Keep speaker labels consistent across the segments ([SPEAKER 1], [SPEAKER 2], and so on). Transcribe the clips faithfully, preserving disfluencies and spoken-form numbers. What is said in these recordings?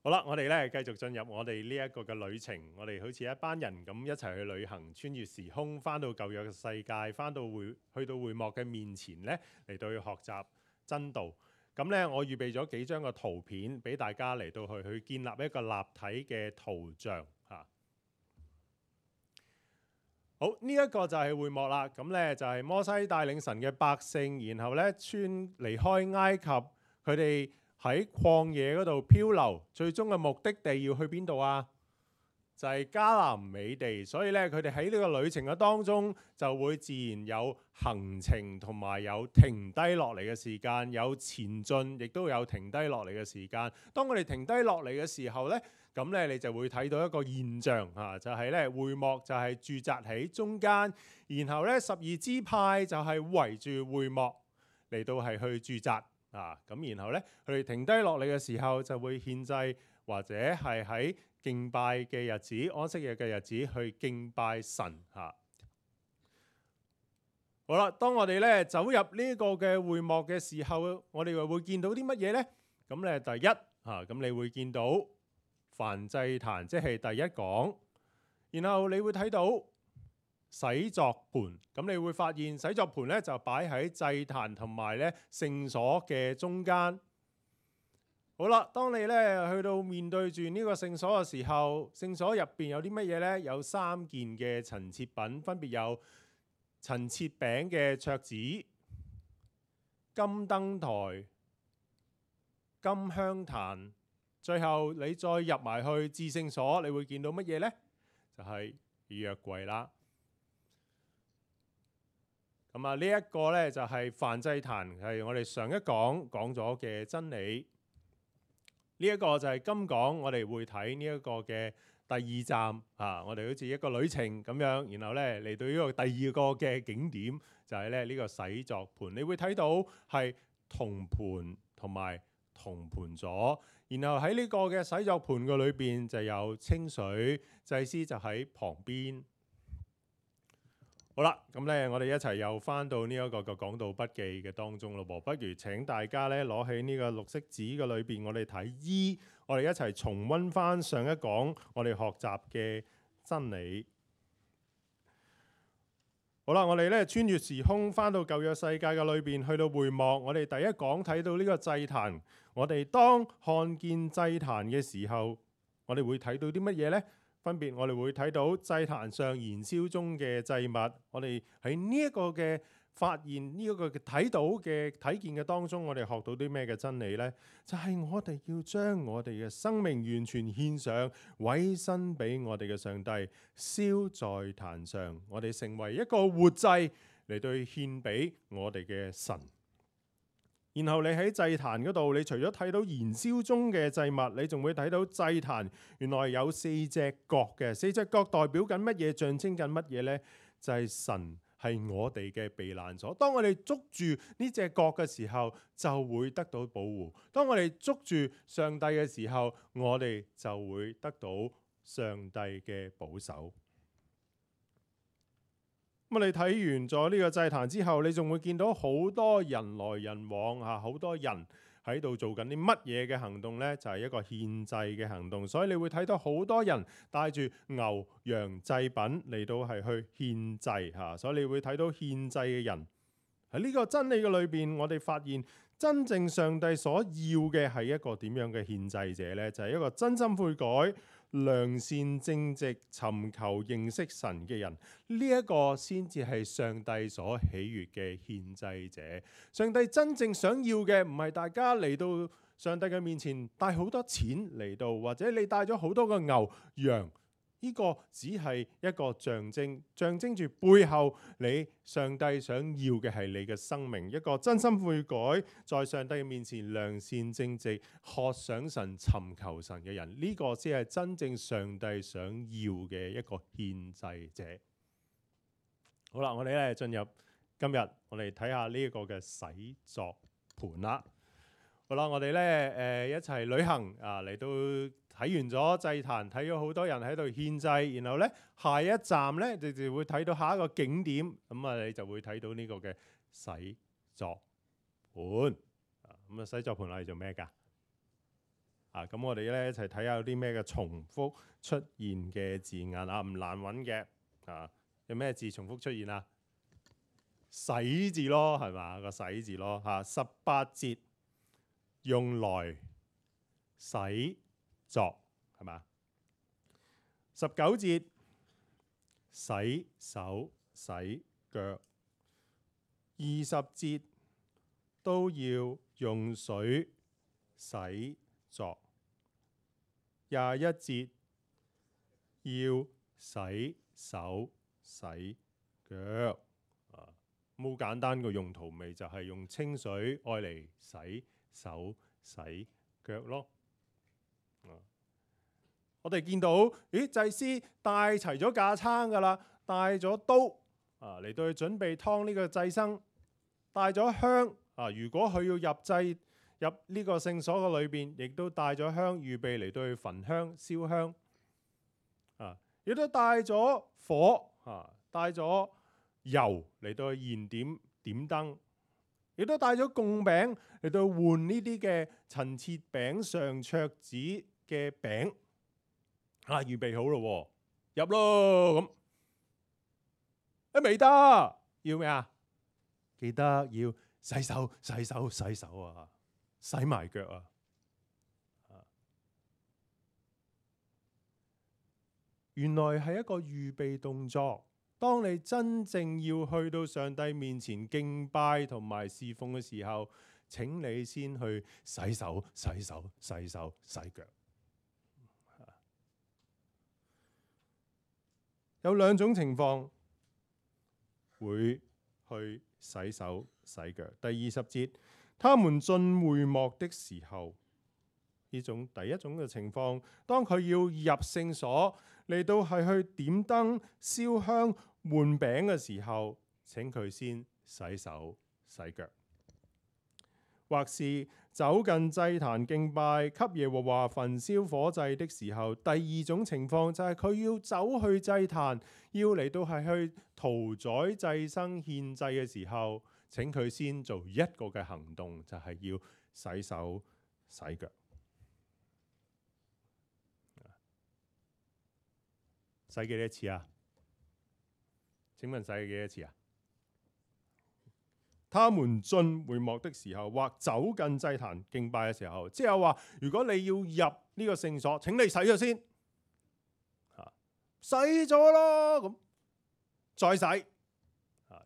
[SPEAKER 1] 好啦，我哋咧繼續進入我哋呢一個嘅旅程。我哋好似一班人咁一齊去旅行，穿越時空，翻到舊約嘅世界，翻到會去到會幕嘅面前咧，嚟到去學習真道。咁咧，我預備咗幾張嘅圖片俾大家嚟到去去建立一個立體嘅圖像嚇。好，呢、這、一個就係會幕啦。咁咧就係摩西帶領神嘅百姓，然後咧穿離開埃及，佢哋喺曠野嗰度漂流，最終嘅目的地要去邊度啊？就係迦南美地。所以咧，佢哋喺呢個旅程嘅當中，就會自然有行程同埋有停低落嚟嘅時間，有前進，亦都有停低落嚟嘅時間。當我哋停低落嚟嘅時候咧，咁咧你就會睇到一個現象嚇，就係咧會幕就係駐紮喺中間，然後咧十二支派就係圍住會幕嚟到係去駐紮。啊，咁然後咧，佢哋停低落嚟嘅時候，就會獻祭，或者係喺敬拜嘅日子、安息日嘅日子去敬拜神嚇、啊。好啦，當我哋咧走入呢個嘅會幕嘅時候，我哋又會見到啲乜嘢咧？咁咧第一嚇，咁、啊、你會見到燔祭壇，即係第一講，然後你會睇到洗濯盤，咁你會發現洗濯盤咧就擺喺祭壇同埋咧聖所嘅中間。好啦，當你咧去到面對住呢個聖所嘅時候，聖所入邊有啲乜嘢咧？有三件嘅陳設品，分別有陳設餅嘅桌子、金燈台、金香壇。最後你再入埋去至聖所，你會見到乜嘢咧？就係約櫃啦。咁啊，呢一個咧就係燔祭壇，係我哋上一講講咗嘅真理。呢一個就係今講我哋會睇呢一個嘅第二站啊，我哋好似一個旅程咁樣，然後咧嚟到呢個第二個嘅景點就係咧呢個洗濯盤。你會睇到係銅盤同埋銅盤座，然後喺呢個嘅洗濯盤嘅裏邊就有清水，祭司就喺旁邊。好啦，咁咧我哋一齊又翻到呢一個嘅講道筆記嘅當中咯噃，不如請大家咧攞起呢個綠色紙嘅裏邊，我哋睇 E，我哋一齊重溫翻上一講我哋學習嘅真理。好啦，我哋咧穿越時空翻到舊約世界嘅裏邊，去到會幕，我哋第一講睇到呢個祭壇，我哋當看見祭壇嘅時候，我哋會睇到啲乜嘢呢？分別我哋會睇到祭壇上燃燒中嘅祭物，我哋喺呢一個嘅發現呢一個嘅睇到嘅睇見嘅當中，我哋學到啲咩嘅真理呢？就係我哋要將我哋嘅生命完全獻上，委身俾我哋嘅上帝，燒在壇上，我哋成為一個活祭嚟對獻俾我哋嘅神。然後你喺祭壇嗰度，你除咗睇到燃燒中嘅祭物，你仲會睇到祭壇原來有四隻角嘅，四隻角代表緊乜嘢？象徵緊乜嘢呢？就係神係我哋嘅避難所。當我哋捉住呢隻角嘅時候，就會得到保護；當我哋捉住上帝嘅時候，我哋就會得到上帝嘅保守。咁你睇完咗呢個祭壇之後，你仲會見到好多人來人往嚇，好多人喺度做緊啲乜嘢嘅行動呢？就係一個獻祭嘅行動。所以你會睇到好多人帶住牛羊祭品嚟到係去獻祭嚇。所以你會睇到獻祭嘅人喺呢個真理嘅裏邊，我哋發現真正上帝所要嘅係一個點樣嘅獻祭者呢？就係一個真心悔改、良善正直、尋求認識神嘅人，呢、這、一個先至係上帝所喜悅嘅獻祭者。上帝真正想要嘅唔係大家嚟到上帝嘅面前帶好多錢嚟到，或者你帶咗好多個牛羊，呢、這個只係一個象徵，象徵住背後你上帝想要嘅係你嘅生命，一個真心悔改，在上帝嘅面前良善正直、渴想神、尋求神嘅人，呢、這個先係真正上帝想要嘅一個獻祭者。好啦，我哋咧進入今日，我哋睇下呢一個嘅洗濯盤啦。好啦，我哋咧誒一齊旅行啊，嚟到睇完咗祭壇，睇咗好多人喺度獻祭，然後咧下一站咧，你就會睇到下一個景點，咁啊你就會睇到呢個嘅洗濯盤。啊，咁啊洗濯盤係做咩㗎？啊，咁我哋咧一齊睇下有啲咩嘅重複出現嘅字眼啊，唔難揾嘅啊。有咩字重複出現啊？洗字咯，係嘛？個洗字咯嚇。十八節用來洗作，係嘛？十九節洗手洗腳，二十節都要用水洗作，廿一節要洗手洗腳。啊，好簡單個用途咪就係用清水愛嚟洗手洗腳咯。啊，我哋見到，咦，祭司帶齊咗架撐噶啦，帶咗刀啊嚟到去準備劏呢個祭牲，帶咗香啊。如果佢要入祭入呢個聖所嘅裏邊，亦都帶咗香，預備嚟到去焚香燒香啊。亦都帶咗火啊，帶咗油嚟到去燃點點燈，亦都帶咗供餅嚟到換呢啲嘅陳設餅上桌子嘅餅啊，預備好咯，入咯咁。啊未得，要咩啊？記得要洗手、洗手、洗手啊，洗埋腳啊。原來係一個預備動作。當你真正要去到上帝面前敬拜同埋侍奉嘅時候，請你先去洗手、洗手、洗手、洗腳。有兩種情況會去洗手洗腳。第二十節，他們進會幕的時候，呢種第一種嘅情況，當佢要入聖所嚟到係去點燈燒香換餅嘅時候，請佢先洗手洗腳，或是走近祭壇敬拜給耶和華焚燒火祭的時候。第二種情況就係佢要走去祭壇，要嚟到係去屠宰祭牲獻祭嘅時候，請佢先做一個嘅行動，就係要洗手洗腳。洗幾多次啊？請問洗幾多次啊？他們進會幕的時候，或走近祭壇敬拜嘅時候，即係話，如果你要入呢個聖所，請你洗咗先，洗咗咯，咁再洗。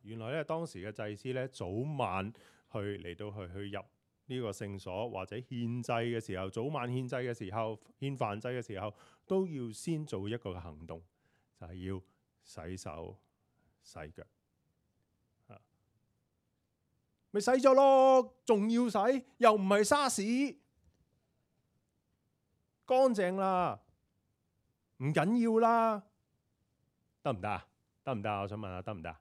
[SPEAKER 1] 原來咧，當時嘅祭司咧，早晚去嚟到去去入呢個聖所，或者獻祭嘅時候，早晚獻祭嘅時候，獻飯祭嘅時候，都要先做一個嘅行動，就係要洗手洗腳。咪洗咗咯，仲要洗，又唔係沙士，乾淨啦，唔緊要啦，得唔得啊？得唔得啊？我想問下，得唔得？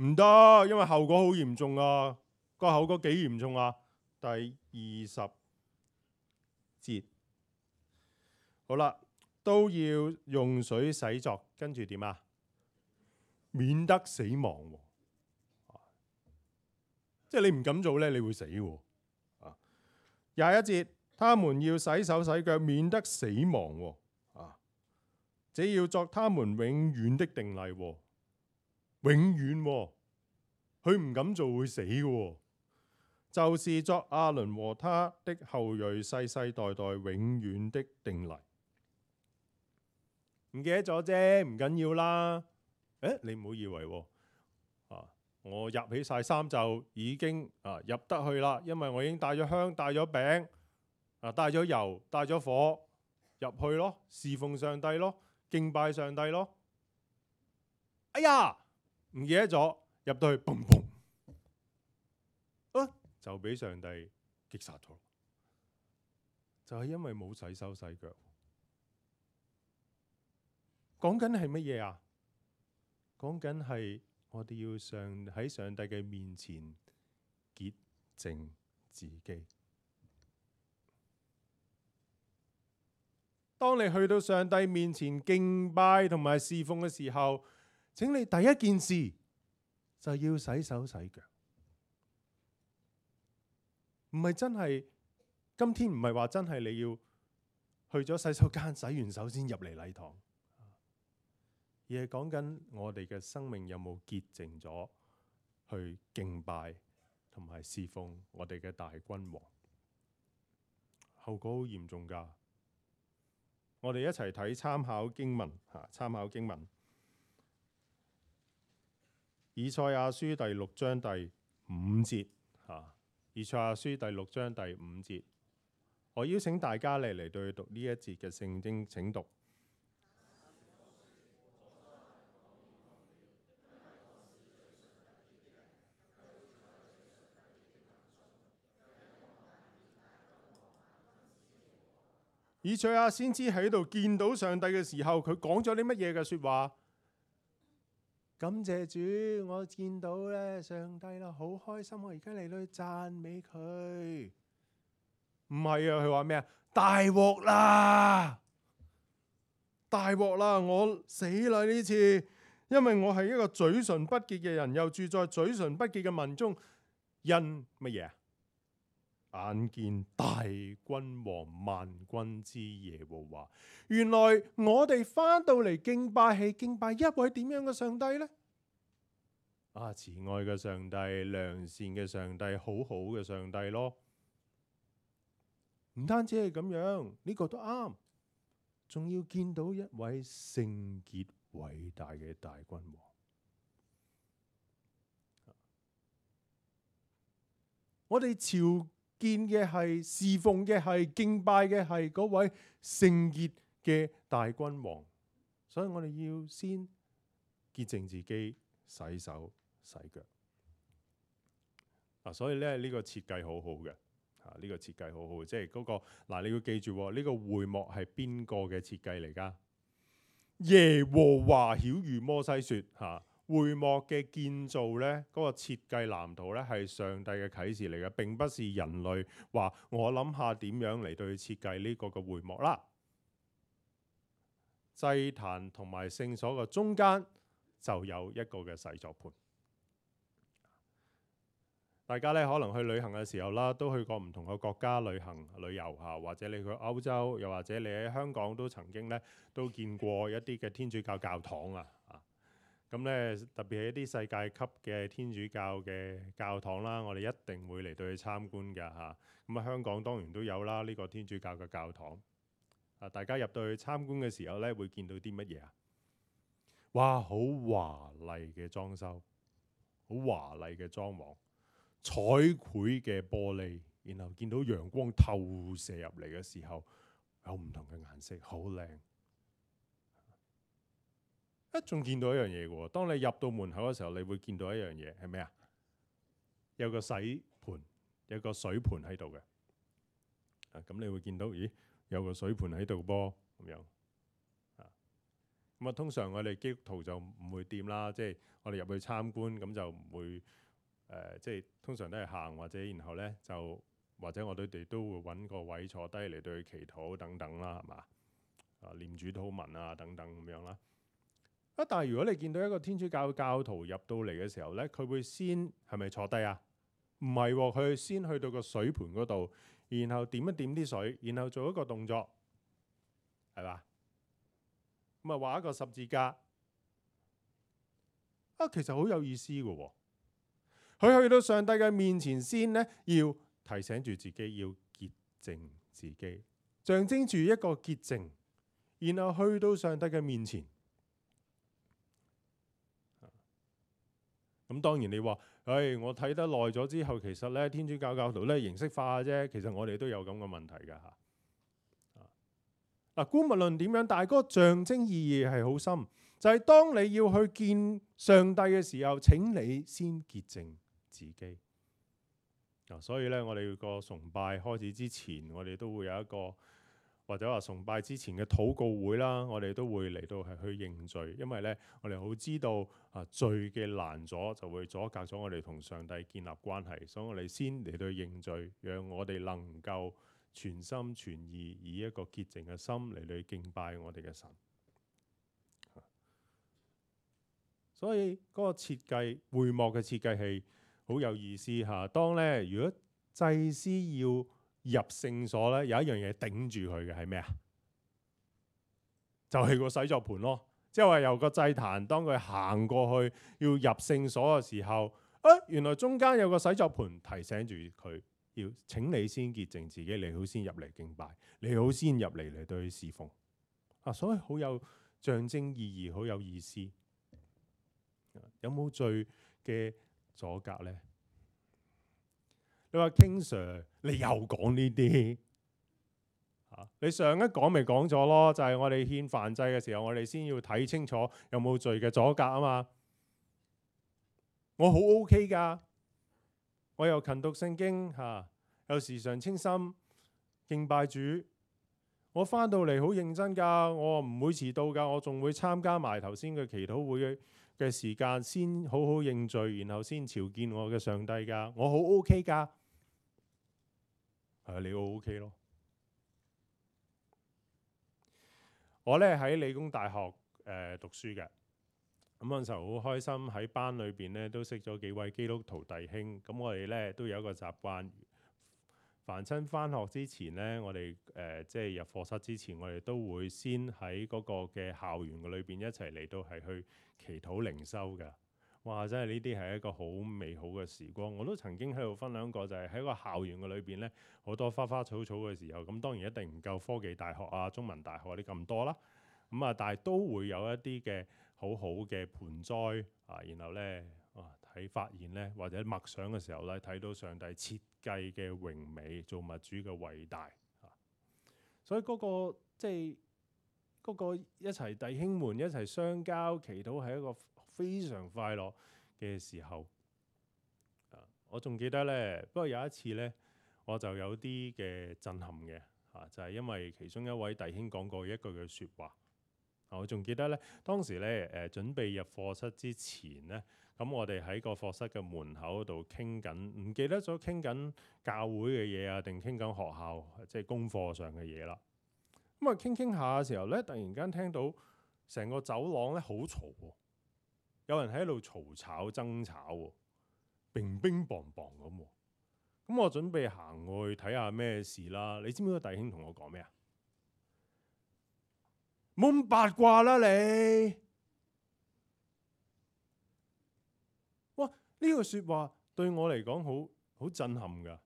[SPEAKER 1] 唔得，因為後果好嚴重啊！個後果幾嚴重啊？第二十節，好啦，都要用水洗作，跟住點啊？免得死亡。即係你唔敢做咧，你會死喎。啊，廿一節，他們要洗手洗腳，免得死亡。啊，這要作他們永遠的定例。永遠，佢唔敢做會死嘅。就是作亞倫和他的後裔世世代代永遠的定例。唔記得咗啫，唔緊要啦。誒，你唔好以為啊。我入起晒衫就已經啊入得去啦，因為我已經帶咗香、帶咗餅、啊帶咗油、帶咗火入去咯，侍奉上帝咯，敬拜上帝咯。哎呀，唔記得咗，入到去，砰砰，啊就俾上帝擊殺咗，就係因為冇洗手洗腳。講緊係乜嘢啊？講緊係。我哋要上喺上帝嘅面前潔淨自己。當你去到上帝面前敬拜同埋侍奉嘅時候，請你第一件事就要洗手洗腳，唔係真係今天唔係話真係你要去咗洗手間洗完手先入嚟禮堂，而係講緊我哋嘅生命有冇潔淨咗去敬拜同埋侍奉我哋嘅大君王。後果好嚴重㗎。我哋一齊睇參考經文嚇，參考經文以賽亞書第六章第五節嚇，以賽亞書第六章第五節，我邀請大家嚟嚟對讀呢一節嘅聖經。請讀。以賽亞先知喺度見到上帝嘅時候，佢講咗啲乜嘢嘅説話？感謝主，我見到咧上帝啦，好開心，我而家嚟到去讚美佢。唔係啊，佢話咩啊？大鑊啦！大鑊啦！我死啦呢次，因為我係一個嘴唇不潔嘅人，又住在嘴唇不潔嘅民中，因乜嘢啊？眼見大君王萬軍之耶和華。原來我哋翻到嚟敬拜係敬拜一位點樣嘅上帝呢？啊，慈愛嘅上帝，良善嘅上帝，好好嘅上帝咯。唔單止係咁樣，呢個都啱，仲要見到一位聖潔偉大嘅大君王。我哋朝見嘅係，侍奉嘅係，敬拜嘅係嗰位聖潔嘅大君王，所以我哋要先潔淨自己，洗手洗腳。啊，所以咧呢個設計好好嘅，啊呢個設計好好，即係嗰個嗱，你要記住呢個會幕係邊個嘅設計嚟㗎？耶和華曉諭摩西說嚇。會幕嘅建造呢，嗰個設計藍圖呢，係上帝嘅啟示嚟嘅，並不是人類話我諗下點樣嚟對設計呢個嘅會幕啦。祭壇同埋聖所嘅中間就有一個嘅洗濯盤。大家呢可能去旅行嘅時候啦，都去過唔同嘅國家旅行旅遊嚇，或者你去歐洲，又或者你喺香港都曾經呢都見過一啲嘅天主教教堂啊。咁咧，特別係一啲世界級嘅天主教嘅教堂啦，我哋一定會嚟到去參觀㗎嚇。咁啊，香港當然都有啦，呢個天主教嘅教堂。啊，大家入到去參觀嘅時候咧，會見到啲乜嘢啊？哇，好華麗嘅裝修，好華麗嘅裝潢，彩繪嘅玻璃，然後見到陽光透射入嚟嘅時候，有唔同嘅顏色，好靚。一仲見到一樣嘢嘅喎，當你入到門口嘅時候，你會見到一樣嘢係咩啊？有個洗盤，有個水盤喺度嘅。啊，咁你會見到，咦，有個水盤喺度噃咁樣。啊，咁啊，通常我哋基督徒就唔會掂啦，即係我哋入去參觀，咁就唔會誒，即係通常都係行或者然後咧就或者我哋哋都會揾個位坐低嚟對佢祈禱等等啦，係嘛？啊，念主禱文啊等等咁樣啦。但係如果你見到一個天主教教徒入到嚟嘅時候呢，佢會先係咪坐低啊？唔係喎，佢先去到個水盤嗰度，然後點一點啲水，然後做一個動作，係嘛？咁啊畫一個十字架啊，其實好有意思嘅喎。佢去到上帝嘅面前先呢，要提醒住自己要潔淨自己，象徵住一個潔淨，然後去到上帝嘅面前。咁當然你話，唉、哎，我睇得耐咗之後，其實咧天主教教徒咧形式化啫。其實我哋都有咁嘅問題㗎嚇。嗱，姑勿論點樣，但係嗰個象徵意義係好深，就係、是、當你要去見上帝嘅時候，請你先潔淨自己。嗱，所以咧，我哋個崇拜開始之前，我哋都會有一個。或者話崇拜之前嘅禱告會啦，我哋都會嚟到係去認罪，因為咧我哋好知道啊罪嘅攔阻就會阻隔咗我哋同上帝建立關係，所以我哋先嚟到認罪，讓我哋能夠全心全意以一個潔淨嘅心嚟到敬拜我哋嘅神。所以嗰個設計會幕嘅設計係好有意思嚇。當咧如果祭司要入聖所咧，有一樣嘢頂住佢嘅係咩啊？就係、是、個洗作盤咯。即係話由個祭壇，當佢行過去要入聖所嘅時候，啊，原來中間有個洗作盤提醒住佢，要請你先潔淨自己，你好先入嚟敬拜，你好先入嚟嚟對佢侍奉。啊，所以好有象徵意義，好有意思。有冇罪嘅阻隔呢？你話 King Sir， 你又講呢啲？你上一講咪講咗咯，就係、是、我哋獻燔祭嘅時候，我哋先要睇清楚有冇罪嘅阻隔啊嘛。我好 OK 噶，我又勤讀聖經嚇，又時常清心敬拜主。我翻到嚟好認真噶，我唔會遲到噶，我仲會參加埋頭先嘅祈禱會嘅時間，先好好認罪，然後先朝見我嘅上帝噶。我好 OK 噶，係你好 OK 咯。我咧喺理工大學誒、呃、讀書嘅，咁嗰陣時候好開心，喺班裏邊咧都識咗幾位基督徒弟兄。咁我哋咧都有一個習慣，凡親返學之前咧，我哋誒、呃、即係入課室之前，我哋都會先喺嗰個嘅校園嘅裏邊一齊嚟到係去祈禱靈修嘅。哇！真係呢啲係一個好美好嘅時光。我都曾經喺度分享過，就係喺個校園嘅裏邊咧，好多花花草草嘅時候，咁當然一定唔夠科技大學啊、中文大學啲咁多啦。咁啊，但係都會有一啲嘅好好嘅盆栽啊，然後咧啊睇發現咧，或者默想嘅時候咧，睇到上帝設計嘅榮美，造物主嘅偉大啊。所以嗰個即係嗰個一齊弟兄們一齊相交祈禱係一個非常快樂嘅時候。啊，我仲記得咧，不過有一次咧，我就有啲嘅震撼嘅啊，就係因為其中一位弟兄講過一句嘅説話。我仲記得咧，當時咧誒準備入課室之前咧，咁我哋喺個課室嘅門口度傾緊，唔記得咗傾緊教會嘅嘢啊，定傾緊學校即係功課上嘅嘢啦。咁啊傾傾下嘅時候咧，突然間聽到成個走廊咧好嘈喎，有人喺度嘈吵爭吵喎，乒乒乓乓咁喎。咁我準備行去睇下咩事啦。你知唔知個弟兄同我講咩啊？冇咁八卦啦你！哇！呢句説話對我嚟講好好震撼㗎。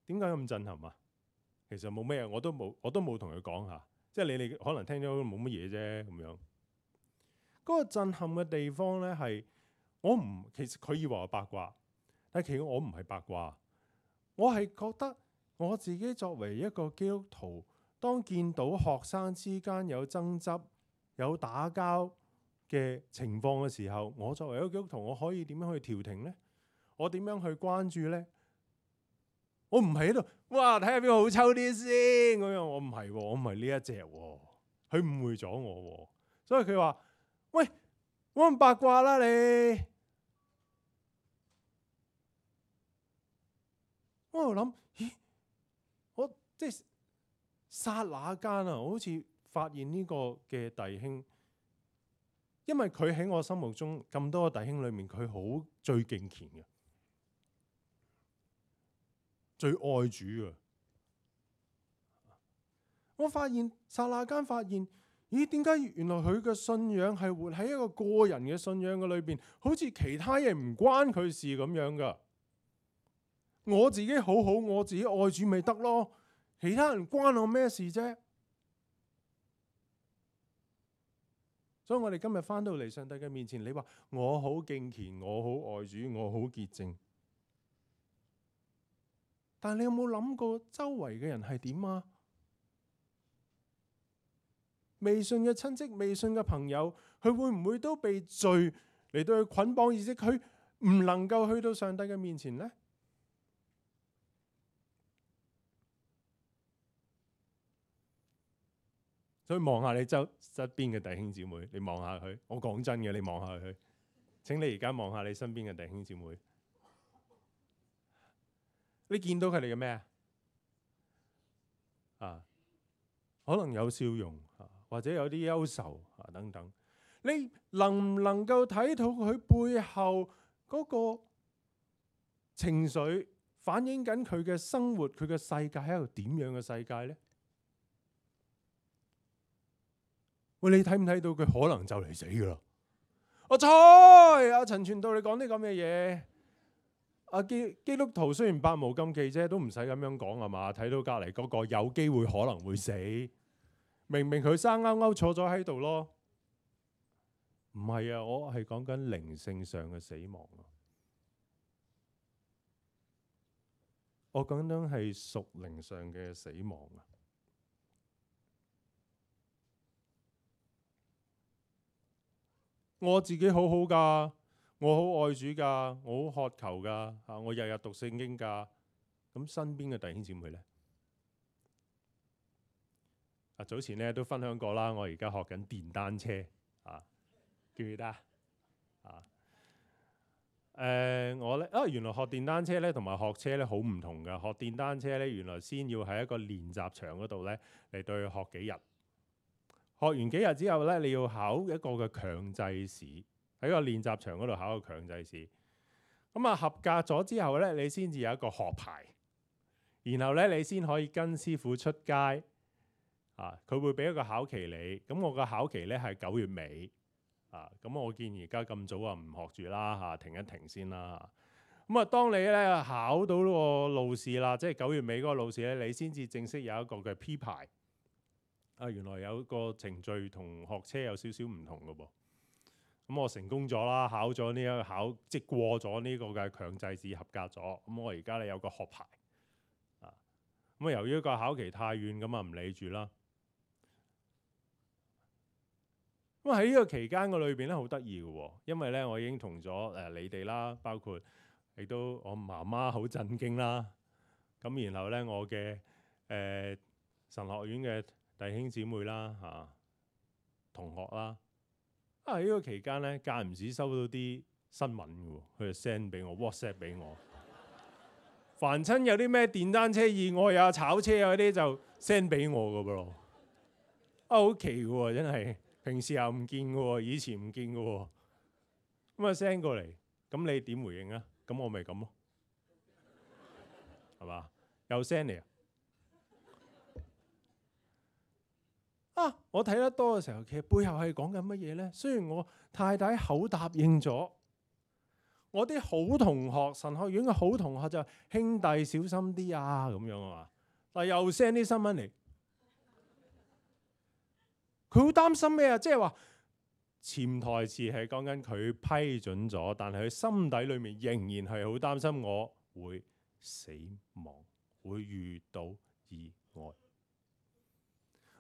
[SPEAKER 1] 點解咁震撼啊？其實冇咩，我都冇，我都冇同佢講下。即係你哋可能聽咗冇乜嘢啫咁樣。嗰個震撼嘅地方咧係我唔，其實佢以為我八卦，但係其實我唔係八卦。我係覺得我自己作為一個基督徒，當見到學生之間有爭執、有打交嘅情況嘅時候，我作為一個基督徒，我可以點樣去調停呢？我點樣去關注呢？我唔係喺度，哇！睇下邊個好抽啲先咁樣。我唔係，我唔係呢一隻。佢誤會咗我，所以佢話：喂，冇咁八卦啦你！我喺度諗，咦？我即係。剎那間啊，我好似發現呢個嘅弟兄，因為佢喺我心目中咁多個弟兄裏面，佢好最敬虔嘅，最愛主嘅。我發現剎那間發現，咦？點解原來佢嘅信仰係活喺一個個人嘅信仰嘅裏邊，好似其他嘢唔關佢事咁樣噶。我自己好好，我自己愛主咪得咯。其他人關我咩事啫？所以我哋今日翻到嚟上帝嘅面前，你話我好敬虔，我好愛主，我好潔淨。但係你有冇諗過周圍嘅人係點啊？未信嘅親戚、未信嘅朋友，佢會唔會都被罪嚟到去捆綁，而且佢唔能夠去到上帝嘅面前呢？所以望下你周側邊嘅弟兄姊妹，你望下佢。我講真嘅，你望下佢。請你而家望下你身邊嘅弟兄姊妹，你見到佢哋嘅咩啊？可能有笑容啊，或者有啲憂愁啊等等。你能唔能夠睇到佢背後嗰個情緒、反映緊佢嘅生活，佢嘅世界係一個點樣嘅世界呢？喂，你睇唔睇到佢可能就嚟死噶啦？阿蔡，阿陳傳道，你講啲咁嘅嘢，阿基基督徒雖然百無禁忌啫，都唔使咁樣講係嘛？睇到隔離嗰個有機會可能會死，明明佢生勾勾坐咗喺度咯。唔係啊，我係講緊靈性上嘅死亡啊！我講緊係屬靈上嘅死亡啊！我自己好好噶，我好愛主噶，我好渴求噶，嚇我日日讀聖經噶。咁身邊嘅弟兄姊妹呢？啊，早前咧都分享過啦，我而家學緊電單車啊，記唔記得啊？誒、呃，我咧啊，原來學電單車咧同埋學車咧好唔同噶。學電單車咧，原來先要喺一個練習場嗰度咧嚟到去學幾日。學完幾日之後咧，你要考一個嘅強制試，喺個練習場嗰度考個強制試。咁啊，合格咗之後咧，你先至有一個學牌，然後咧你先可以跟師傅出街。啊，佢會俾一個考期你。咁我個考期咧係九月尾。啊，咁我見而家咁早啊唔學住啦嚇，停一停先啦。咁啊，當你咧考到個路試啦，即係九月尾嗰個路試咧，你先至正式有一個嘅 P 牌。啊，原來有個程序同學車有少少唔同嘅噃。咁我成功咗啦，考咗呢一個考，即係過咗呢個嘅強制試，合格咗。咁我而家咧有個學牌。啊，咁啊由於個考期太遠，咁啊唔理住啦。咁喺呢個期間嘅裏邊咧，好得意嘅喎，因為咧我已經同咗誒你哋啦，包括亦都我媽媽好震驚啦。咁然後咧我嘅誒、呃、神學院嘅弟兄姊妹啦嚇、啊、同學啦，啊喺呢個期間咧間唔時收到啲新聞嘅喎，佢就 send 俾我 WhatsApp 俾我，凡親有啲咩電單車意外啊、炒車啊嗰啲就 send 俾我嘅噃，啊好奇嘅喎，真係平時又唔見嘅喎，以前唔見嘅喎，咁啊 send 過嚟，咁你點回應啊？咁我咪咁咯，係嘛？又 send 嚟啊！啊！我睇得多嘅時候，其實背後係講緊乜嘢呢？雖然我太太口答應咗，我啲好同學，神學院嘅好同學就兄弟小心啲啊咁樣啊嘛，但又 send 啲新聞嚟，佢好擔心咩啊？即係話潛台詞係講緊佢批准咗，但係佢心底裏面仍然係好擔心我會死亡，會遇到意外。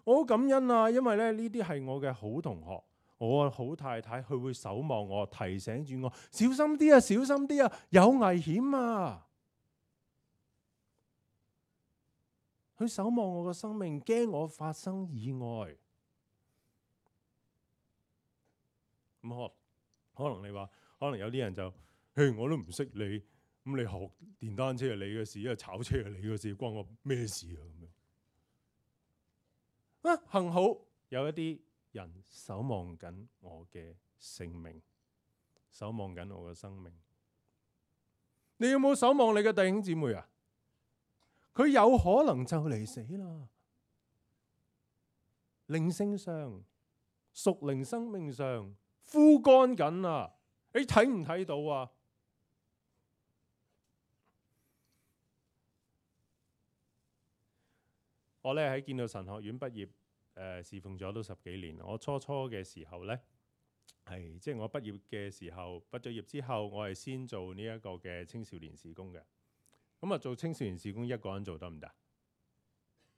[SPEAKER 1] 我好感恩啊，因為咧呢啲係我嘅好同學，我嘅好太太，佢會守望我，提醒住我小心啲啊，小心啲啊，有危險啊！佢守望我嘅生命，驚我發生意外。咁可可能你話，可能有啲人就，嘿，我都唔識你，咁你學電單車係你嘅事，因為炒車係你嘅事，關我咩事啊？咁樣。啊，幸好有一啲人守望緊我嘅性命，守望緊我嘅生命。你有冇守望你嘅弟兄姊妹啊？佢有可能就嚟死啦，靈性上、屬靈生命上枯乾緊啊！你睇唔睇到啊？我咧喺建道神學院畢業，誒、呃、侍奉咗都十幾年。我初初嘅時候呢，係即係我畢業嘅時候，畢咗業之後，我係先做呢一個嘅青少年事工嘅。咁啊，做青少年事工一個人做得唔得？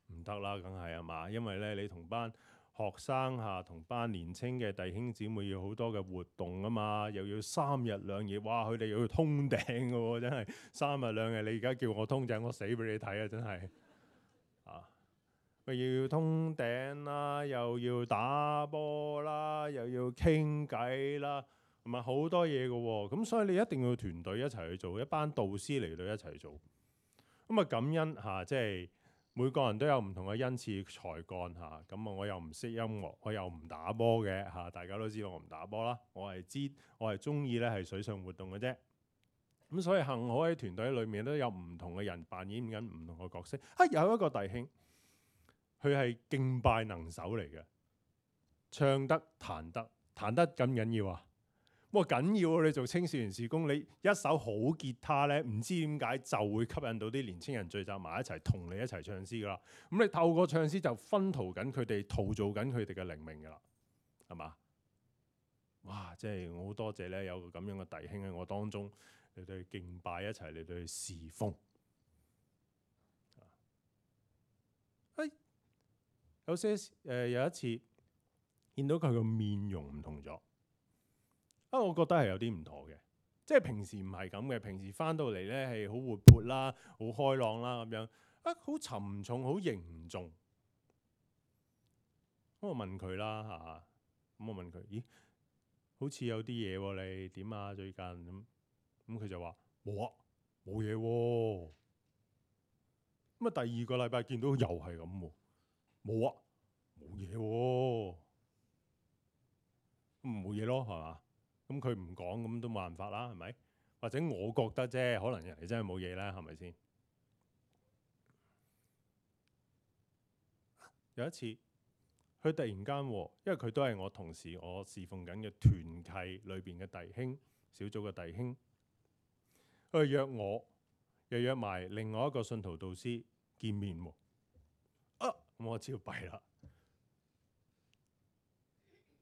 [SPEAKER 1] 唔得啦，梗係啊嘛。因為咧，你同班學生嚇，同班年青嘅弟兄姊妹要好多嘅活動啊嘛，又要三日兩夜，哇！佢哋又要通頂嘅喎，真係三日兩夜。你而家叫我通頂，我死俾你睇啊！真係啊！又要通頂啦，又要打波啦，又要傾偈啦，同埋好多嘢嘅喎。咁所以你一定要團隊一齊去做，一班導師嚟到一齊做。咁啊感恩嚇，即係每個人都有唔同嘅恩賜才幹嚇。咁啊，我又唔識音樂，我又唔打波嘅嚇。大家都知道我唔打波啦。我係知，我係中意咧係水上活動嘅啫。咁所以幸好喺團隊裏面都有唔同嘅人扮演緊唔同嘅角色。啊，有一個弟兄，佢係敬拜能手嚟嘅，唱得彈得彈得緊唔緊要啊？哇，緊要啊！你做青少年事工，你一手好吉他咧，唔知點解就會吸引到啲年青人聚集埋一齊，同你一齊唱詩噶啦。咁你透過唱詩就薰陶緊佢哋，陶造緊佢哋嘅靈命噶啦，係嘛？哇！即係我好多謝咧，有個咁樣嘅弟兄喺我當中嚟到去敬拜，一齊嚟到去侍奉。哎，有些誒、呃、有一次見到佢個面容唔同咗。啊，我覺得係有啲唔妥嘅，即係平時唔係咁嘅，平時翻到嚟咧係好活潑啦，好開朗啦咁樣，啊好沉重，好凝重。咁我問佢啦嚇，咁我問佢，咦，好似有啲嘢喎，你點啊最近咁？咁佢就話冇啊，冇嘢喎。咁啊第二個禮拜見到又係咁喎，冇啊，冇嘢喎，咁冇嘢咯係嘛？咁佢唔講，咁都冇辦法啦，係咪？或者我覺得啫，可能人哋真係冇嘢啦，係咪先？有一次，佢突然間，因為佢都係我同事，我侍奉緊嘅團契裏邊嘅弟兄，小組嘅弟兄，佢約我，又約埋另外一個信徒導師見面喎。啊，咁我知道弊啦。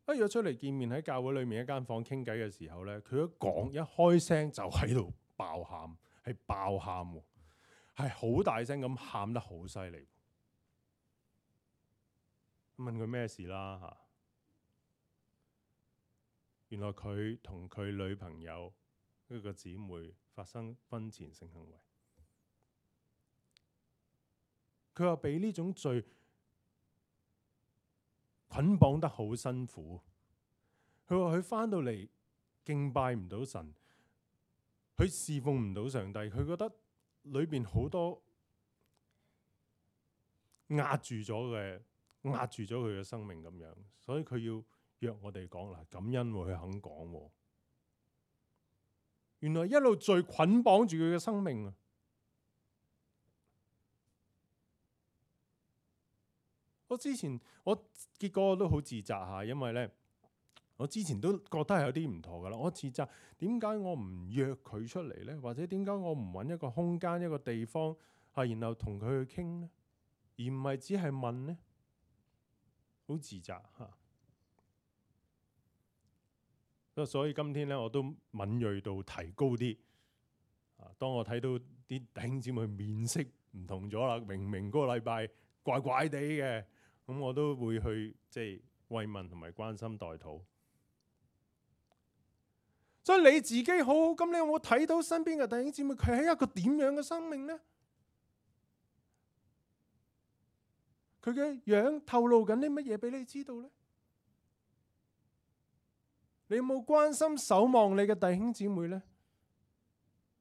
[SPEAKER 1] 一約出嚟見面喺教會裏面一間房傾偈嘅時候咧，佢一講一開聲就喺度爆喊，係爆喊喎，係好大聲咁喊得好犀利。問佢咩事啦嚇？原來佢同佢女朋友一個姊妹發生婚前性行為。佢話俾呢種罪捆綁得好辛苦。佢話佢翻到嚟敬拜唔到神，佢侍奉唔到上帝，佢覺得裏邊好多壓住咗嘅。壓住咗佢嘅生命咁樣，所以佢要約我哋講嗱，感恩喎，佢肯講喎。原來一路罪捆綁住佢嘅生命啊！我之前我結果我都好自責下，因為咧我之前都覺得係有啲唔妥噶啦。我自責點解我唔約佢出嚟咧？或者點解我唔揾一個空間一個地方啊，然後同佢去傾咧，而唔係只係問咧？好自責嚇，所以今天咧我都敏鋭度提高啲。啊，當我睇到啲弟兄姊妹面色唔同咗啦，明明嗰個禮拜怪怪地嘅，咁我都會去即係慰問同埋關心代禱。所以你自己好好，咁你有冇睇到身邊嘅弟兄姊妹佢係一個點樣嘅生命呢？佢嘅樣透露緊啲乜嘢俾你知道呢？你有冇關心守望你嘅弟兄姊妹呢？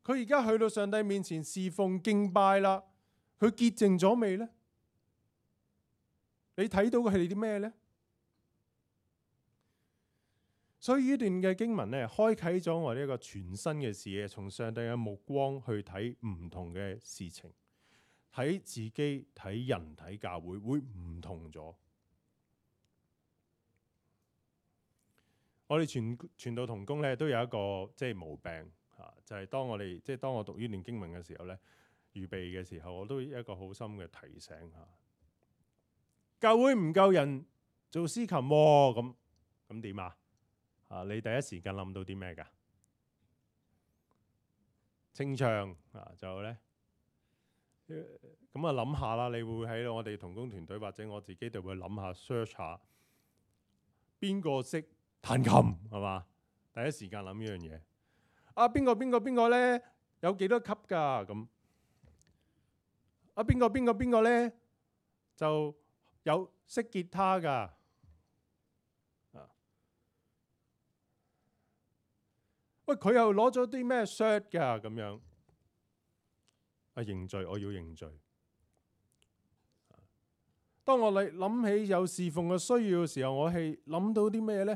[SPEAKER 1] 佢而家去到上帝面前侍奉敬拜啦，佢潔淨咗未呢？你睇到嘅係啲咩呢？所以呢段嘅經文咧，開啟咗我哋一個全新嘅視野，從上帝嘅目光去睇唔同嘅事情。睇自己、睇人、睇教會會唔同咗。我哋傳傳道同工咧都有一個即係毛病嚇，就係、是、當我哋即係當我讀呢段經文嘅時候咧，預備嘅時候，我都有一個好深嘅提醒嚇。教會唔夠人做司琴喎，咁咁點啊？啊，你第一時間諗到啲咩㗎？清唱啊，就咧。咁啊諗下啦，你會喺我哋同工團隊或者我自己就會諗下 search 下邊個識彈琴係嘛？第一時間諗呢樣嘢。啊，邊個邊個邊個咧有幾多級㗎？咁啊，邊個邊個邊個咧就有識吉他㗎？啊，喂，佢又攞咗啲咩 cert 㗎？咁樣。啊，認罪，我要認罪。當我嚟諗起有侍奉嘅需要嘅時候，我係諗到啲咩呢？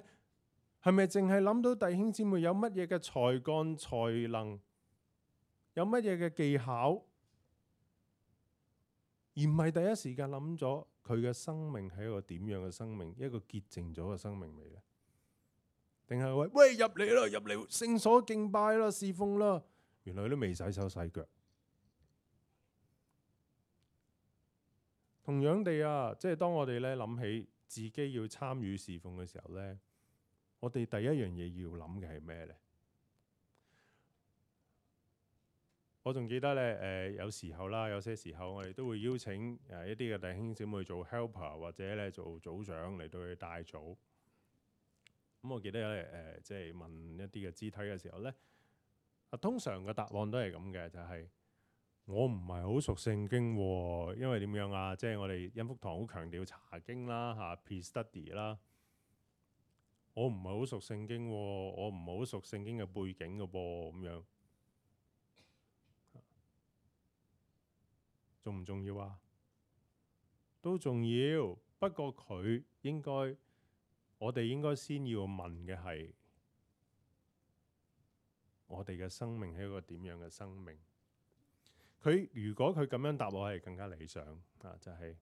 [SPEAKER 1] 係咪淨係諗到弟兄姊妹有乜嘢嘅才幹才能有乜嘢嘅技巧，而唔係第一時間諗咗佢嘅生命係一個點樣嘅生命，一個潔淨咗嘅生命未呢？定係話喂，入嚟啦，入嚟聖所敬拜啦，侍奉啦，原來都未洗手洗腳。同樣地啊，即係當我哋咧諗起自己要參與侍奉嘅時候咧，我哋第一樣嘢要諗嘅係咩咧？我仲記得咧，誒、呃、有時候啦，有些時候我哋都會邀請誒一啲嘅弟兄姊妹做 helper 或者咧做組長嚟到去帶組。咁、嗯、我記得咧誒、呃，即係問一啲嘅肢體嘅時候咧，啊通常嘅答案都係咁嘅，就係、是、我唔係好熟聖經喎，因為點樣啊？即係我哋恩福堂好強調查經啦，嚇 pre-study 啦。我唔係好熟聖經喎，我唔係好熟聖經嘅背景嘅噃，咁樣。重唔重要啊？都重要，不過佢應該，我哋應該先要問嘅係，我哋嘅生命係一個點樣嘅生命？佢如果佢咁樣答我係更加理想啊，就係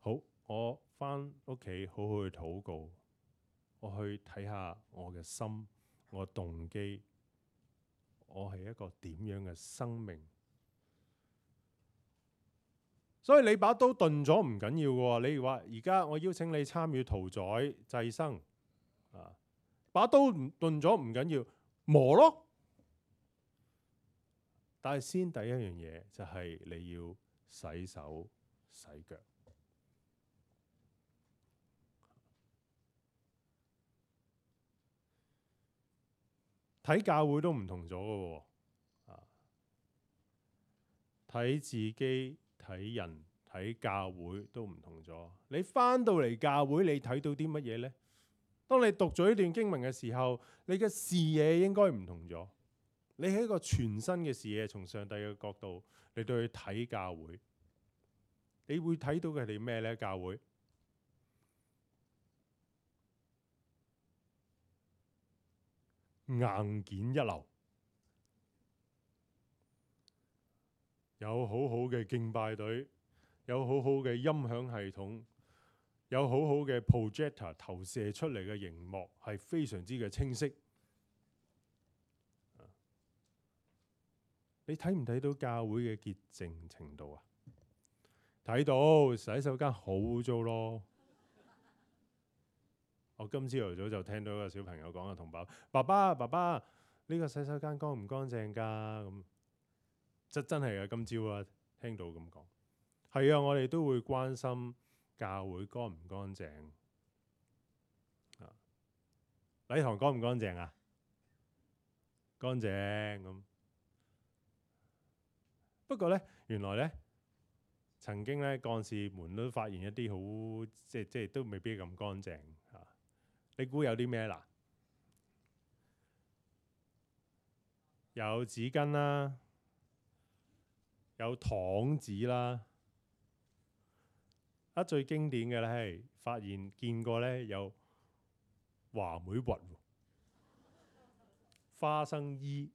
[SPEAKER 1] 好，我返屋企好好去禱告，我去睇下我嘅心，我嘅動機，我係一個點樣嘅生命？所以你把刀鈍咗唔緊要嘅喎，你話而家我邀請你參與屠宰祭牲，啊，把刀唔鈍咗唔緊要，磨咯。但係先第一樣嘢就係你要洗手洗腳。睇教會都唔同咗嘅喎，啊，睇自己。睇人睇教會都唔同咗。你返到嚟教會，你睇到啲乜嘢呢？當你讀咗呢段經文嘅時候，你嘅視野應該唔同咗。你係一個全新嘅視野，從上帝嘅角度嚟到去睇教會，你會睇到佢哋咩呢？教會硬件一流，有好好嘅敬拜隊，有好好嘅音響系統，有好好嘅 projector 投射出嚟嘅熒幕係非常之嘅清晰。你睇唔睇到教會嘅潔淨程度啊？睇到，洗手間好污糟咯。我今朝頭早就聽到一個小朋友講啊，同爸爸爸爸爸呢個洗手間乾唔乾淨㗎？咁真真係啊！今朝啊，聽到咁講，係啊，我哋都會關心教會乾唔乾淨啊？禮堂乾唔乾淨啊？乾淨咁。不過咧，原來咧，曾經咧，幹事們都發現一啲好即係即係都未必咁乾淨嚇。你估有啲咩啦？有紙巾啦，有糖紙啦。啊，最經典嘅咧係發現見過咧有話梅核、花生衣。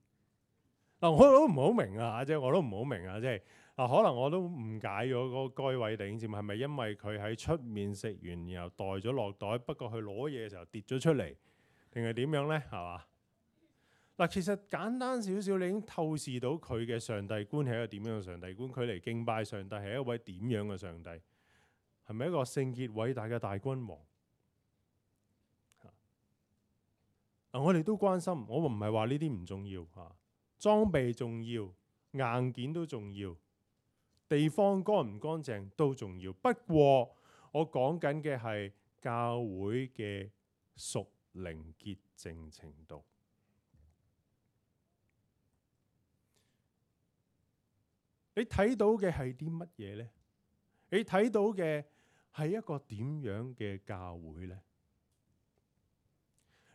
[SPEAKER 1] 嗱，我都唔好明啊，即係我都唔好明啊，即係嗱，可能我都誤解咗嗰該位弟兄姊妹，係咪因為佢喺出面食完，然後袋咗落袋，不過佢攞嘢嘅時候跌咗出嚟，定係點樣咧？係嘛？嗱，其實簡單少少，你已經透視到佢嘅上帝觀係一個點樣嘅上帝觀，佢嚟敬拜上帝係一位點樣嘅上帝，係咪一個聖潔偉大嘅大君王？嗱，我哋都關心，我唔係話呢啲唔重要嚇。裝備重要，硬件都重要，地方乾唔乾淨都重要。不過我講緊嘅係教會嘅屬靈潔淨程度。你睇到嘅係啲乜嘢呢？你睇到嘅係一個點樣嘅教會呢？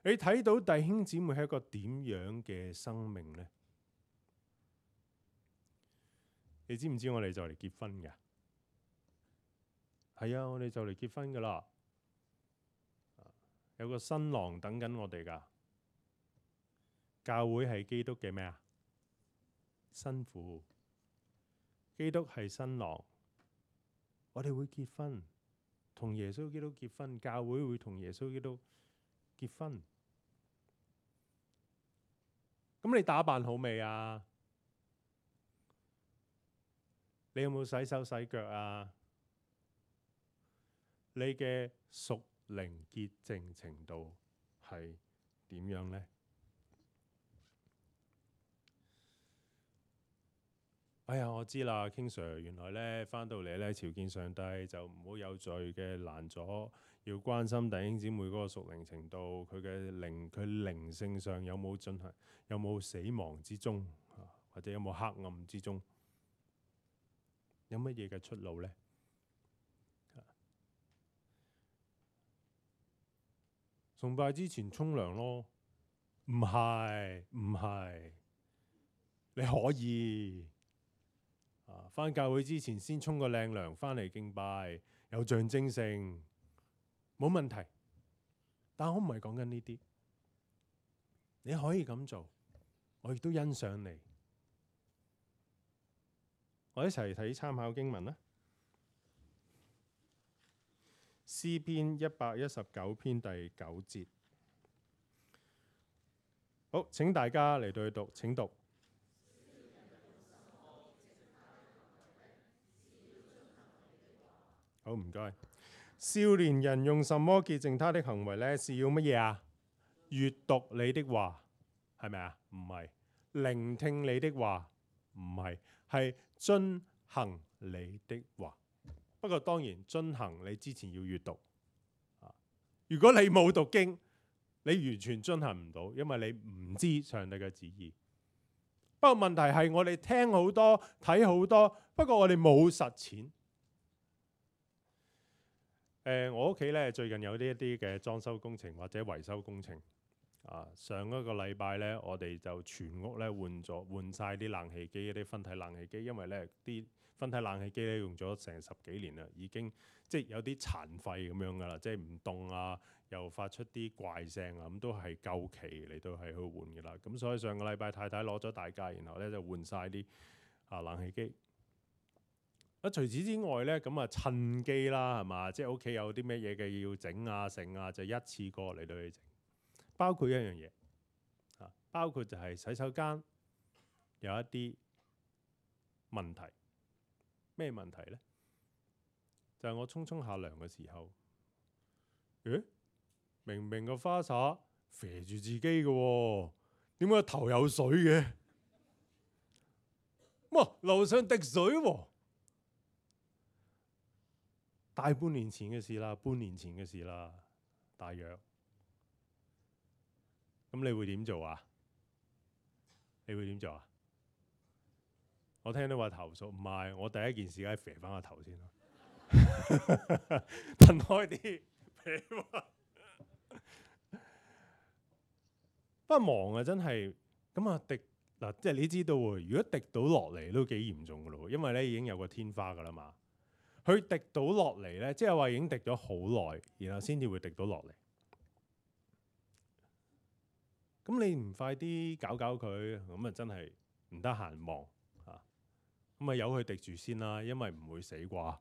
[SPEAKER 1] 你睇到弟兄姊妹係一個點樣嘅生命呢？你知唔知我哋就嚟結婚㗎？係啊，我哋就嚟結婚㗎啦。有個新郎等緊我哋㗎。教會係基督嘅咩啊？新婦，基督係新郎，我哋會結婚，同耶穌基督結婚，教會會同耶穌基督結婚。咁你打扮好未啊？你有冇洗手洗腳啊？你嘅屬靈潔淨程度係點樣呢？哎呀，我知啦，King Sir，原來咧翻到嚟咧朝見上帝就唔好有罪嘅攔阻，要關心弟兄姊妹嗰個屬靈程度，佢嘅靈佢靈性上有冇進行，有冇死亡之中，或者有冇黑暗之中，有乜嘢嘅出路呢？崇拜之前沖涼咯？唔係唔係，你可以。啊！返教會之前先沖個靚涼，返嚟敬拜，有象徵性，冇問題。但我唔係講緊呢啲，你可以咁做，我亦都欣賞你。我一齊睇參考經文啦，詩篇一百一十九篇第九節。好，請大家嚟到去讀，請讀。好，唔該。少年人用什麼潔淨他的行為呢？是要乜嘢啊？閱讀你的話，係咪啊？唔係。聆聽你的話，唔係。係遵行你的話。不過當然遵行你之前要閱讀。如果你冇讀經，你完全遵行唔到，因為你唔知上帝嘅旨意。不過問題係我哋聽好多，睇好多，不過我哋冇實踐。呃、我屋企咧最近有呢一啲嘅裝修工程或者維修工程啊。上一個禮拜咧，我哋就全屋咧換咗換曬啲冷氣機，啲分體冷氣機，因為咧啲分體冷氣機咧用咗成十幾年啦，已經即係有啲殘廢咁樣噶啦，即係唔凍啊，又發出啲怪聲啊，咁都係夠期嚟到係去換噶啦。咁所以上個禮拜太太攞咗大假，然後咧就換曬啲啊冷氣機。啊！除此之外咧，咁啊趁機啦，係嘛？即係屋企有啲咩嘢嘅要整啊、剩啊，就一次過嚟到去整。包括一樣嘢啊，包括就係洗手間有一啲問題。咩問題咧？就係我沖沖下涼嘅時候，誒，明明個花灑肥住自己嘅喎，點解頭有水嘅？哇！樓上滴水喎！大半年前嘅事啦，半年前嘅事啦，大約。咁你會點做啊？你會點做啊？我聽到話投訴，唔係，我第一件事梗係肥翻個頭先咯，噴開啲皮嘛。不過忙啊，真係咁啊滴嗱，即係你知道喎，如果滴到落嚟都幾嚴重噶咯，因為咧已經有個天花噶啦嘛。佢滴到落嚟咧，即係話已經滴咗好耐，然後先至會滴到落嚟。咁你唔快啲搞搞佢，咁啊真係唔得閒望嚇。咁啊由佢滴住先啦，因為唔會死啩，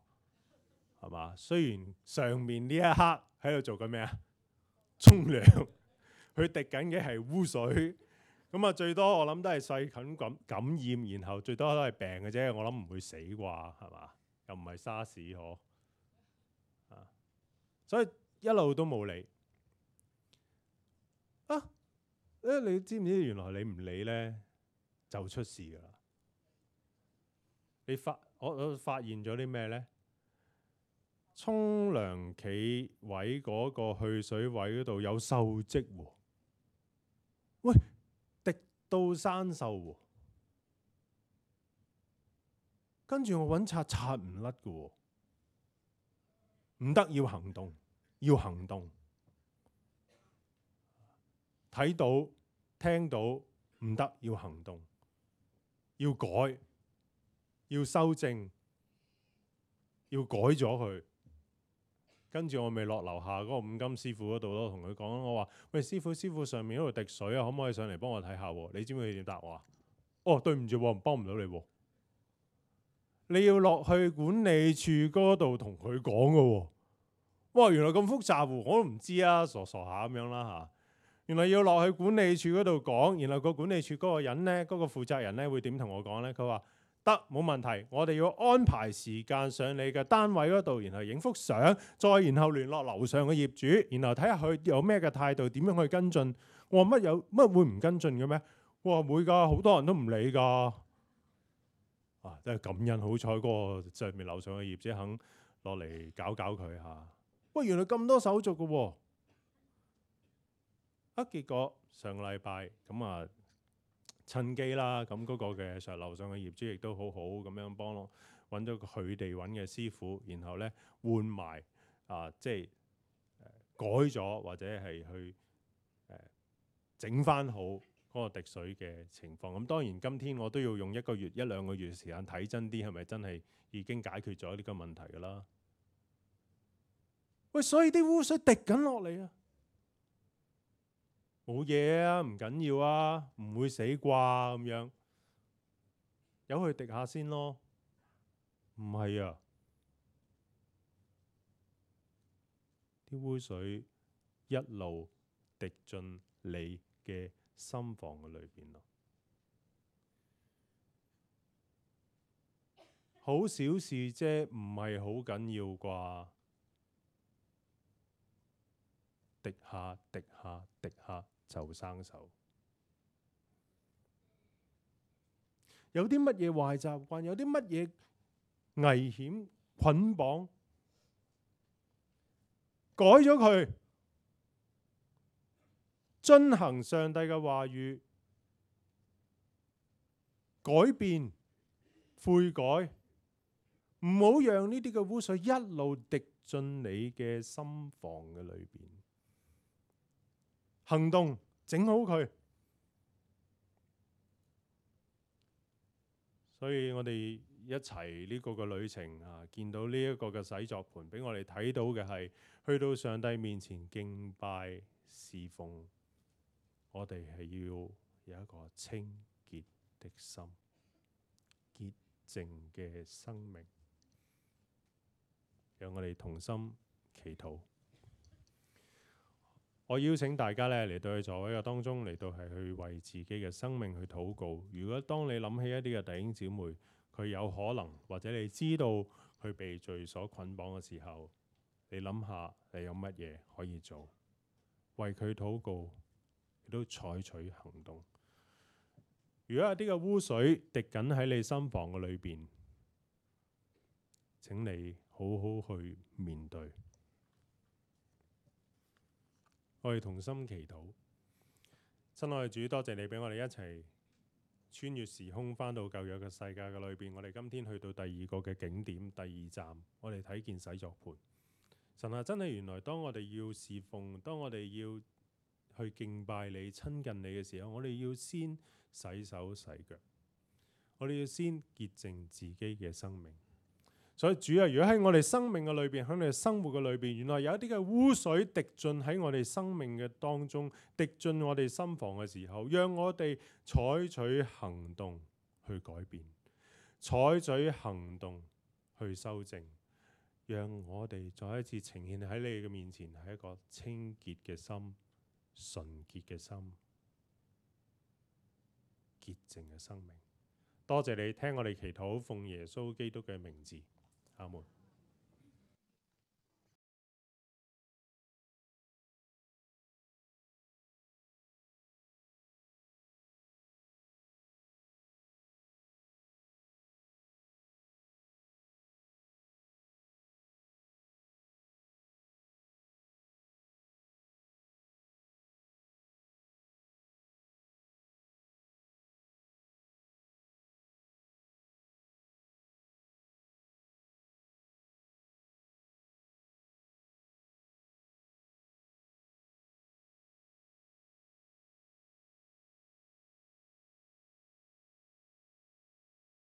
[SPEAKER 1] 係嘛？雖然上面呢一刻喺度做緊咩啊？沖涼，佢滴緊嘅係污水。咁啊最多我諗都係細菌感感染，然後最多都係病嘅啫。我諗唔會死啩，係嘛？又唔係沙士嗬，啊！所以一路都冇理啊！誒，你知唔知原來你唔理咧就出事㗎啦？你發我我發現咗啲咩咧？沖涼企位嗰個去水位嗰度有鏽跡喎，喂，滴到生鏽喎，跟住我揾刷刷唔甩㗎喎。唔得，要行動，要行動。睇到、聽到唔得，要行動，要改，要修正，要改咗佢。跟住我咪落樓下嗰個五金師傅嗰度咯，同佢講，我話：喂，師傅，師傅上面嗰度滴水啊，可唔可以上嚟幫我睇下？你知唔知佢點答我啊？哦，對唔住喎，幫唔到你喎。你要落去管理處嗰度同佢講嘅喎。哇，原來咁複雜喎，我都唔知啊，傻傻下咁樣啦嚇。原來要落去管理處嗰度講，然後個管理處嗰個人呢，嗰、嗰個負責人呢會點同我講呢？佢話得，冇問題，我哋要安排時間上你嘅單位嗰度，然後影幅相，再然後聯絡樓上嘅業主，然後睇下佢有咩嘅態度，點樣去跟進。我話乜有乜會唔跟進嘅咩？我話會㗎，好多人都唔理㗎。啊，真係感恩，好彩嗰個上面樓上嘅業主肯落嚟搞搞佢嚇。喂，原來咁多手續嘅喎。啊，結果上個禮拜咁啊，趁機啦，咁嗰個嘅上樓上嘅業主亦都好好咁樣幫我揾咗佢哋揾嘅師傅，然後咧換埋啊，即係、呃、改咗或者係去誒整翻好嗰個滴水嘅情況。咁當然今天我都要用一個月一兩個月時間睇真啲，係咪真係已經解決咗呢個問題㗎啦？喂，所以啲污水滴緊落嚟啊！冇嘢啊，唔緊要啊，唔會死啩咁樣，由佢滴下先咯。唔係啊，啲污水一路滴進你嘅心房嘅裏邊咯。好小事啫，唔係好緊要啩？滴下滴下滴下就生鏽。有啲乜嘢壞習慣，有啲乜嘢危險捆綁，改咗佢，遵行上帝嘅話語，改變悔改，唔好讓呢啲嘅污水一路滴進你嘅心房嘅裏邊。行動，整好佢。所以我哋一齊呢個嘅旅程啊，見到呢一個嘅洗作盤，俾我哋睇到嘅係去到上帝面前敬拜侍奉，我哋係要有一個清潔的心、潔淨嘅生命。讓我哋同心祈禱。我邀請大家咧嚟到去座位嘅當中，嚟到係去為自己嘅生命去禱告。如果當你諗起一啲嘅弟兄姊妹，佢有可能或者你知道佢被罪所捆綁嘅時候，你諗下你有乜嘢可以做，為佢禱告，亦都採取行動。如果有啲嘅污水滴緊喺你心房嘅裏邊，請你好好去面對。我哋同心祈禱。親愛嘅主，多謝你俾我哋一齊穿越時空返到舊約嘅世界嘅裏邊。我哋今天去到第二個嘅景點，第二站，我哋睇見洗作盤。神啊，真係原來當我哋要侍奉，當我哋要去敬拜你、親近你嘅時候，我哋要先洗手洗腳，我哋要先潔淨自己嘅生命。所以主啊，如果喺我哋生命嘅裏邊，喺我哋生活嘅裏邊，原來有一啲嘅污水滴進喺我哋生命嘅當中，滴進我哋心房嘅時候，讓我哋採取行動去改變，採取行動去修正，讓我哋再一次呈現喺你嘅面前，係一個清潔嘅心、純潔嘅心、潔淨嘅生命。多謝你聽我哋祈禱，奉耶穌基督嘅名字。阿門。